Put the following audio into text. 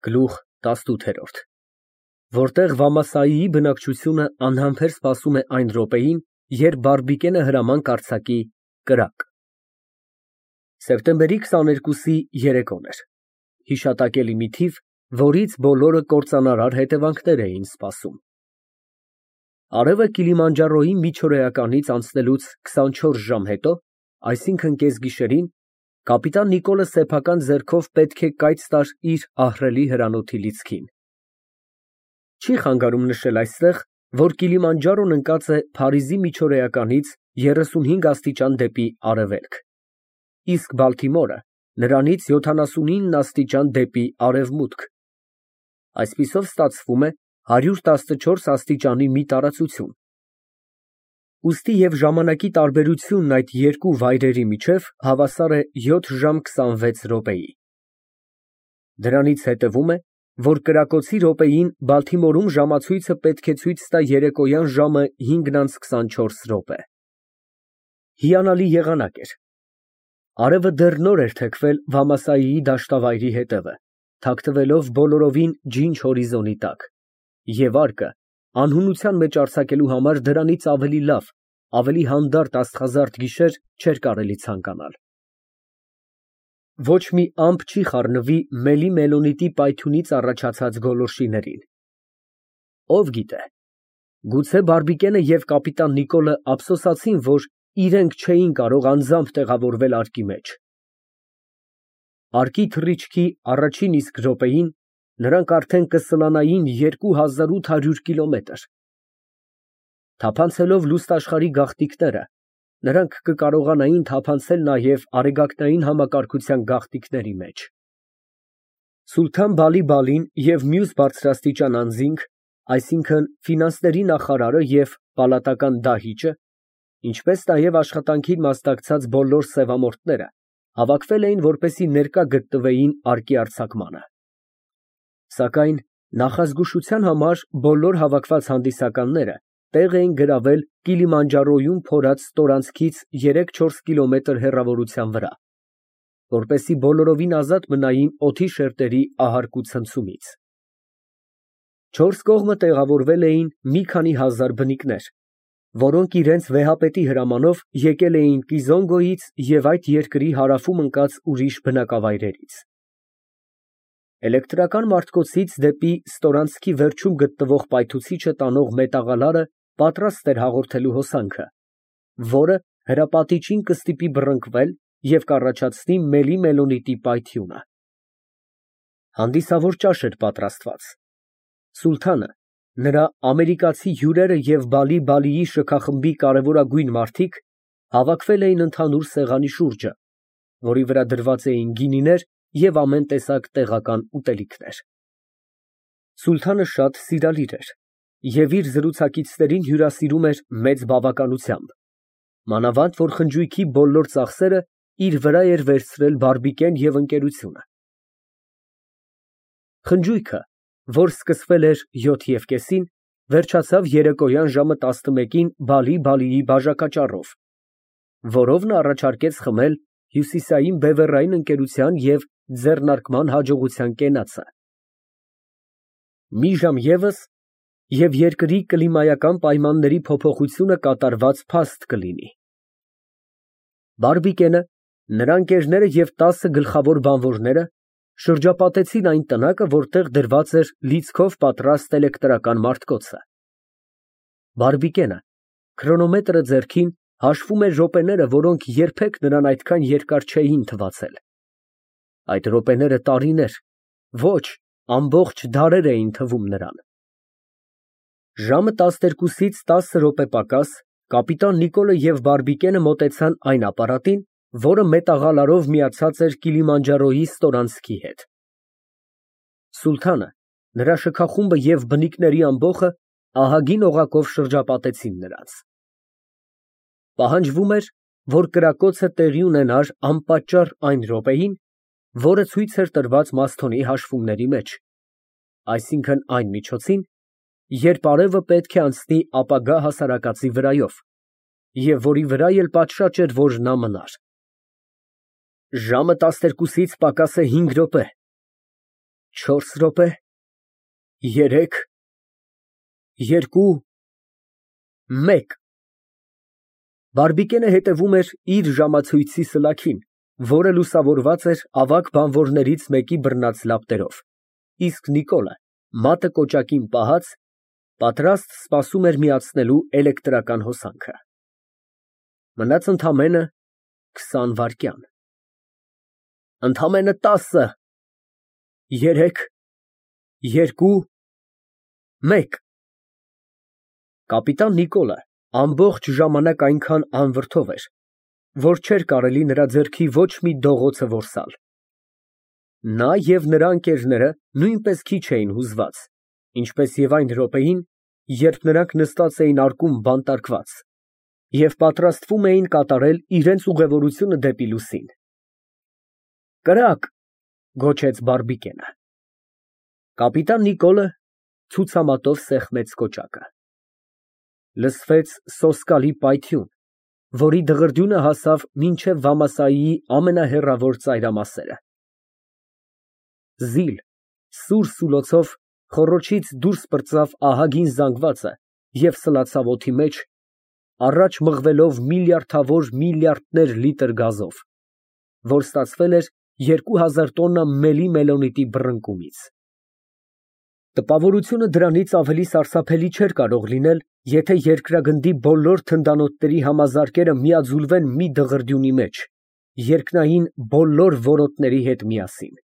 Գլուխ 18 Որտեղ Վամասայիի բնակչությունը անհամբեր սպասում է այն րոպեին, երբ Բարբիկենը հրաման կարձակի կրակ։ Սեպտեմբերի 22-ի երեկոն էր։ Հիշատակելի մի թիվ, որից բոլորը կործանարար հետևանքներ էին սպասում։ Արևը Կիլիմանջարոյի միջօրեականից անցնելուց 24 ժամ հետո, այսինքն կեսգիշերին, կապիտան Նիկոլը սեփական ձեռքով պետք է կայծ տար իր ահռելի հրանոթի լիցքին։ Չի խանգարում նշել այստեղ, որ Կիլիմանջարոն ընկած է Փարիզի միջօրեականից 35 աստիճան դեպի արևելք, իսկ Բալթիմորը նրանից 79 աստիճան դեպի արևմուտք։ Այսպիսով ստացվում է 114 աստիճանի մի տարածություն։ Ուստի և ժամանակի տարբերությունն այդ երկու վայրերի միջև հավասար է 7 ժամ 26 րոպեի։ Դրանից հետևում է, որ կրակոցի րոպեին Բալթիմորում ժամացույցը պետք է ցույց տա երեկոյան ժամը 5:24։ Հիանալի եղանակ էր։ Արևը դեռ նոր էր թեքվել Վամասայիի դաշտավայրի հետևը, թաքնվելով բոլորովին ջինջ հորիզոնի տակ, և արկը անհունության մեջ արձակելու համար դրանից ավելի լավ, ավելի հանդարտ աստղազարդ գիշեր չէր կարելի ցանկանալ։ Ոչ մի ամպ չի խառնվի Մելի Մելոնիտի պայթյունից առաջացած գոլորշիներին։ Ով գիտե, գուցե Բարբիկենը և կապիտան Նիկոլը ափսոսացին, որ իրենք չէին կարող անձամբ տեղավորվել արկի մեջ։ Արկի թռիչքի առաջին իսկ րոպեին նրանք արդեն կսլանային 2800 կիլոմետր։ Թափանցելով լուստ աշխարհի գաղտնիքները, նրանք կկարողանային թափանցել նաև արեգակնային համակարգության գաղտնիքների մեջ։ Սուլթան Բալի֊Բալին և մյուս բարձրաստիճան անձինք, այսինքն ֆինանսների նախարարը և պալատական դահիճը, ինչպես նաև աշխատանքին մասնակցած բոլոր սևամորթները, հավաքվել էին, որպեսզի ներկա գտնվեին արկի արձակմանը։ Սակայն նախազգուշության համար բոլոր հավաքված հանդիսականները տեղ էին գրավել Կիլիմանջարոյում փորած ստորանցքից 3-4 կիլոմետր հեռավորության վրա, որպեսզի բոլորովին ազատ մնային օդի շերտերի ահարկու ցնցումից։ Չորս կողմը տեղավորվել էին մի քանի հազար բնիկներ, որոնք իրենց վեհապետի հրամանով եկել էին Կիզոնգոյից և այդ երկրի հարավում ընկած ուրիշ բնակավայրերից։ Էլեկտրական մարտկոցից դեպի ստորանցքի վերջում գտնվող պայթուցիչը տանող մետաղալարը պատրաստ էր հաղորդելու հոսանքը, որը հրապատիչին կստիպի բռնկվել և կառաջացնի Մելի Մելոնիտի պայթյունը։ Հանդիսավոր ճաշ էր պատրաստված։ Սուլթանը, նրա ամերիկացի հյուրերը և Բալի֊Բալիի շքախմբի կարևորագույն մարդիկ հավաքվել էին ընդհանուր սեղանի շուրջը, որի վրա դրված էին գինիներ և ամեն տեսակ տեղական ուտելիքներ։ Սուլթանը շատ սիրալիր էր և իր զրուցակիցներին հյուրասիրում էր մեծ բավականությամբ, մանավանդ որ խնջույքի բոլոր ծախսերը իր վրա էր վերցրել Բարբիկեն և ընկերությունը։ Խնջույքը, որ սկսվել էր 7:30-ին, վերջացավ երեկոյան ժամը 11-ին Բալի֊Բալիի բաժակաճառով, որով նա առաջարկեց խմել հյուսիսային բևեռային ընկերության և ձեռնարկման հաջողության կենացը։ Մի ժամ ևս, և երկրի կլիմայական պայմանների փոփոխությունը կատարված փաստ կլինի։ Բարբիկենը, նրա ընկերները և 10 գլխավոր բանվորները շրջապատեցին այն տնակը, որտեղ դրված էր լիցքով պատրաստ էլեկտրական մարտկոցը։ Բարբիկենը, քրոնոմետրը ձեռքին, հաշվում էր րոպեները, որոնք երբեք նրան այդքան երկար չէին թվացել։ Այդ րոպեները տարիներ, ոչ, ամբողջ դարեր էին թվում նրան։ Ժամը 12-ից 10 րոպե պակաս կապիտան Նիկոլը և Բարբիկենը մոտեցան այն ապարատին, որը մետաղալարով միացած էր Կիլիմանջարոյի ստորանցքի հետ։ Սուլթանը, նրա շքախումբը և բնիկների ամբոխը ահագին օղակով շրջապատեցին նրանց։ Պահանջվում էր, որ կրակոցը տեղի ունենար անպատճառ այն րոպեին, որը ցույց էր տրված Մասթոնի հաշվումների մեջ, այսինքն այն միջոցին, երբ արևը պետք է անցնի ապագա հասարակածի վրայով, և որի վրա էլ պատշաճ էր, որ նա մնար։ Ժամը 12-ից պակաս է 5 րոպե։ 4 րոպե, 3, 2, 1։ Բարբիկենը հետևում էր իր ժամացույցի սլաքին, որը լուսավորված էր ավագ բանվորներից մեկի բռնած լապտերով, իսկ Նիկոլը, մատը կոճակին պահած, պատրաստ սպասում էր միացնելու էլեկտրական հոսանքը։ Մնաց ընդամենը 20 վայրկյան։ Ընդամենը 10, 3, 2, 1։ Կապիտան Նիկոլը ամբողջ ժամանակ այնքան անվրդով էր, որ չէր կարելի նրա ձեռքի ոչ մի դողոցը որսալ։ Նա և նրա ընկերները նույնպես քիչ էին հուզված, ինչպես և այն րոպեին, երբ նրանք նստած էին արկում բանտարկված և պատրաստվում էին կատարել իրենց ուղևորությունը դեպի լուսին։ «Կրակ», գոչեց Բարբիկենը։ Կապիտան Նիկոլը ցուցամատով սեղմեց կոճակը։ Լսվեց սոսկալի պայթյուն, որի դղրդյունը հասավ մինչև վամասայիի ամենահեռավոր ծայրամասերը։ Զիլ սուր սուլոցով խոռոչից դուրս պրծավ ահագին զանգվածը և սլացավ օդի մեջ, առաջ մղվելով միլիարդավոր միլիարդներ լիտր գազով, որ ստացվել էր 2000 տոննա մելի մելոնիտի բռնկումից։ Տպավորությունը դրանից ավելի սարսափելի չէր կարող լինել, եթե երկրագնդի բոլոր թնդանոթների համազարկերը միաձուլվեն մի դղրդյունի մեջ, երկնային բոլոր որոտների հետ միասին։